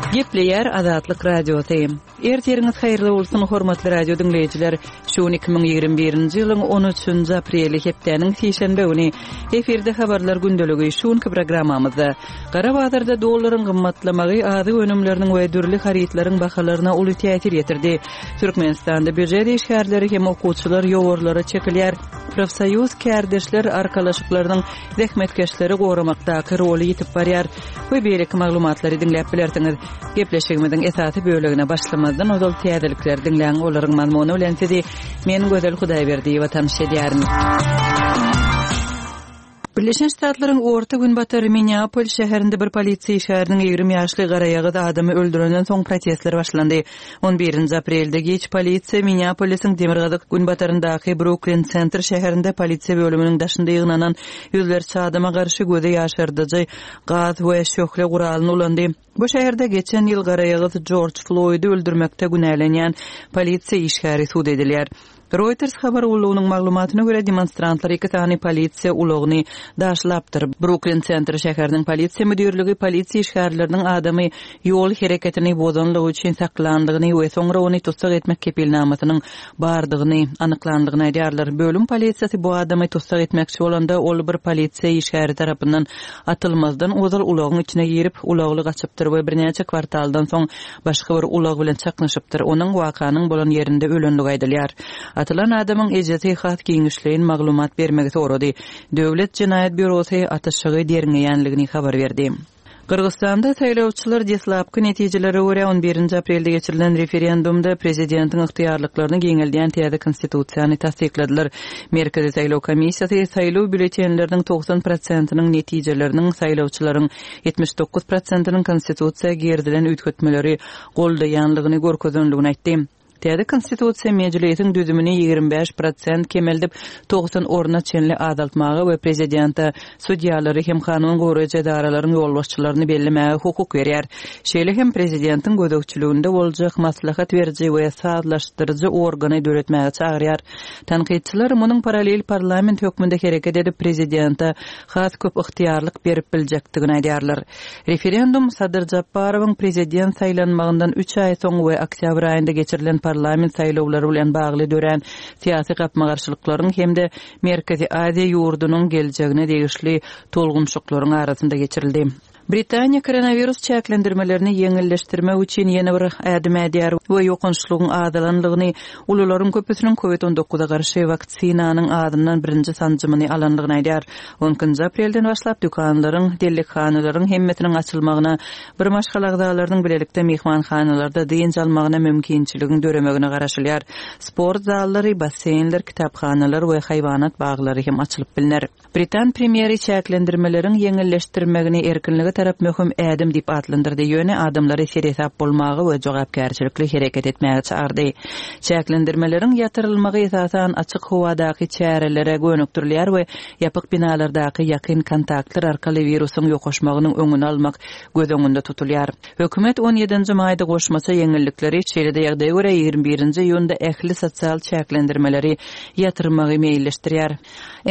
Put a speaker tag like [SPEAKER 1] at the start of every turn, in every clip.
[SPEAKER 1] Gepleýär Azatlyk Radiosy. Ertiriňiz haýyrly bolsun, hormatly radio diňleýjiler. Şu gün 2021-nji ýylyň 13-nji apreli, hepdäniň sişenbe güni. Efirde habarlar gündeligi şu günki programmamyzda. Gara bazarda dollaryň gymmatlamagy azyk önümleriniň we dürli harytlaryň bahalaryna uly täsir ýetirdi. Türkmenistanda býujet işgärleri hem okuwçylar ýowarlara çekilýär. Profsoýuz kärdeşler arkalaşyklarynyň zähmetkeşleri goramakdaky roly ýitip barýar we beýleki maglumatlary diňläp bilersiňiz. Gepleşigimiziň esasy bölegine başlamazdan ozal täzelikleri diňläň, olaryň mazmuny bilen sizi men Gözel Hudaýberdiýewa tanyş edýärin. Birleşen Ştatlaryň Orta Günbatar Minneapol şäherinde bir polisiýa işgäriniň 20 ýaşly garaýagyz adamy öldürenden soň protestler başlandy. On birinji aprelde giç polisiýa Minneapolisiň demirgazyk-günbataryndaky Bruklin Sentr şäherinde polisiýa bölüminiň daşynda ýygnanan ýüzlerçe adama garşy gözi ýaşardyjy gaz we şöhle guralyny ulandy. Bu şäherde geçen ýyl garaýagyz Jorj Floýdy öldürmekde günälenýän polisiýa işgäri sud edilýär. Reuters habar gullugynyň maglumatyna görä, demonstrantlar iki sany polisiýa ulagyny daşlapdyr. Bruklin Sentr şäheriniň polisiýa müdirligi polisiýa işgärleriniň adamy ýol hereketini bozanlygy üçin saklandygyny we soňra ony tussag etmek kepilnamasynyň bardygyny anyklandygyny aýdýarlar. Bölüm polisiýasy bu adamy tussag etmekçi bolanda, ol bir polisiýa işgäri tarapyndan atylmazdan ozal ulagyň içine girip, ulagly gaçypdyr we birnäçe kwartaldan soň başga bir ulag bilen çaknyşypdyr. Onuň wakanyň bolan ýerinde ölenligi aýdylýar. Atylan adamyň ejesi has giňişleýin maglumat bermegi sorady. Döwlet jenaýat býurosy atyşygy derňeýänligini habar berdi. Gyrgyzystanda saýlawçylar deslapky netijelere görä, on birinji aprelde geçirilen referendumda prezidentiň ygtyýarlyklaryny giňeldýän täze konstitusiýany tassykladylar. Merkezi saýlaw komissiýasy saýlaw býulletenleriniň 90 prosentiniň netijeleriniň saýlawçylaryň 79 prosentiniň konstitusiýa girizilen üýtgetmeleri goldaýanlygyny görkezenligini aýtdy. Täze Konstitusiýa Mejlisiň düzümini 25 prosent kemeldip, 90 orna çenli azaltmaga we prezidente sudýalary hem kanun goraýjy edaralaryň ýolbaşçylaryny bellemäge hukuk berýär. Şeýle hem prezidentiň gözegçiliginde boljak maslahat beriji we sazlaşdyryjy organy döretmäge çagyrýar. Tankytçylar munuň parallel parlament hökmünde hereket edip, prezidente has köp ygtyýarlyk berip biljekdigini aýdýarlar. Referendum Sadyr Žaparowyň prezident saýlanmagyndan üç aý soň we oktýabr aýynda geçirilen parlament saýlawlary bilen bagly dörän syýasy gapma-garşylyklaryň hem-de Merkezi Aziýa ýurdunyň geljegine degişli tolgunyşyklaryň arasynda geçirildi. Britaniýa koronawirus çäklendirmelerini ýeňilleşdirmek üçin ýene bir ädim ädýär we ýokançlygyň azalanlygyny, ulularyň köpüsiniň Covid 19-a garşy waksinanyň azyndan birinji sanjymyny alanlygyny aýdýar. On ikinji aprelden başlap dükanlaryň, dellekhanalaryň hemmesiniň açylmagyna, bir maşgala agzalarynyň bilelikde myhmanhanalarda dynç almagyna mümkinçiligiň döremegine garaşylýar. Sport zallary, basseýnler, kitaphanalar we haýwanat baglary hem açylyp bilner. Britan premýeri çäklendirmeleriň ýeňilleşdirmegini erkinlige tarap möhüm ädim diýip atlandyrdy, ýöne adamlary seresap bolmaga we jogapkärçilikli hereket etmäge çagyrdy. Çäklendirmeleriň ýatyrylmagy esasan açyk howadaky çärelere gönükdirilýär we ýapyk binalardaky ýakyn kontaktlar arkaly wirusyň ýokaşmagynyň öňüni almak göz öňünde tutulýar. Hökümet on ýedinji maýda goşmaça ýeňillikleri, şeýle-de ýagdaýa görä 21-nji iýunda ähli sosial çäklendirmeleri ýatyrmagy meýilleşdirýär.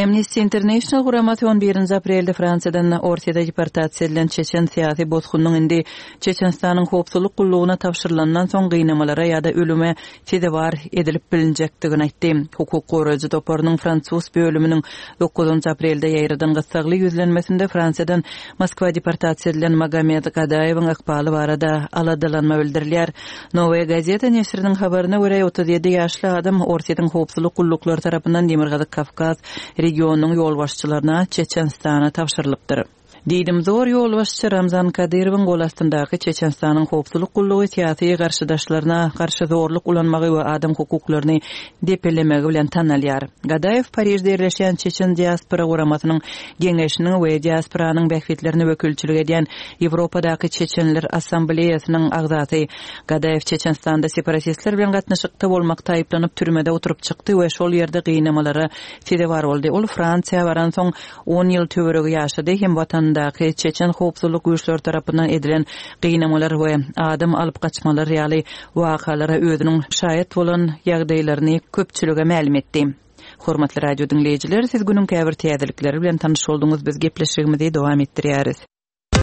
[SPEAKER 1] Amnesty International guramasy on birinji aprelde Fransiýadan Orsýete deportasiýa edilen çeçen syýasy bosgunyň indi Çeçenistanyň howpsuzlyk gullugyna tabşyrylandan soň gynamalara ýa-da ölüme sezewar edilip bilinjekdigini aýtdy. Hukuk goraýjy toparynyň fransuz bölüminiň dokuzynjy aprelde ýaýradan gyssagly ýüzlenmesinde Fransiýadan Moskwa deportasiýa edilen Magomed Gadaýewiň ykbaly barada aladalanma bildirilýär. Nowaýa gazeta neşiriniň habaryna görä, 37 ýaşly adam Orsýetiň howpsuzlyk gulluklary tarapyndan Demirgazyk Kawkaz regionynyň ýolbaşçylaryna, Çeçenistana tabşyrylypdyr. Diýdimzor ýolbaşçy Ramzan Kadyrowyň gol astyndaky Çeçenistanyň howpsuzlyk gullugy syýasy garşydaşlaryna garşy zorluk ulanmagy we adam hukuklaryny depelemegi bilen tanalýar. Gadaýew Parižde ýerleşýän Çeçen diaspora guramasynyň Geňeşiniň we diasporanyň bähbitlerine wekilçilik edýän Ýewropadaky Çeçenler Assambleýasynyň agzasy. Gadaýew Çeçenistanda separatistler bilen gatnaşykda bolmakda aýyplanyp türmede oturyp çykdy we şol ýerde gynamalara sezewar boldy. Ol Fransiýa baransoň on ýyl töweregi ýaşady hem watanyndaky çeçen howpsuzlyk güýçleri tarapyndan edilen gynamalar we adam alyp gaçmalar ýaly wakalara özüniň şaýat bolan ýagdaýlaryny köpçülige mälim etdi. Hormatly radio diňleýjiler, siz günüň käbir täzelikleri bilen tanyş bolduňyz, biz gepleşigimizi dowam etdirýäris.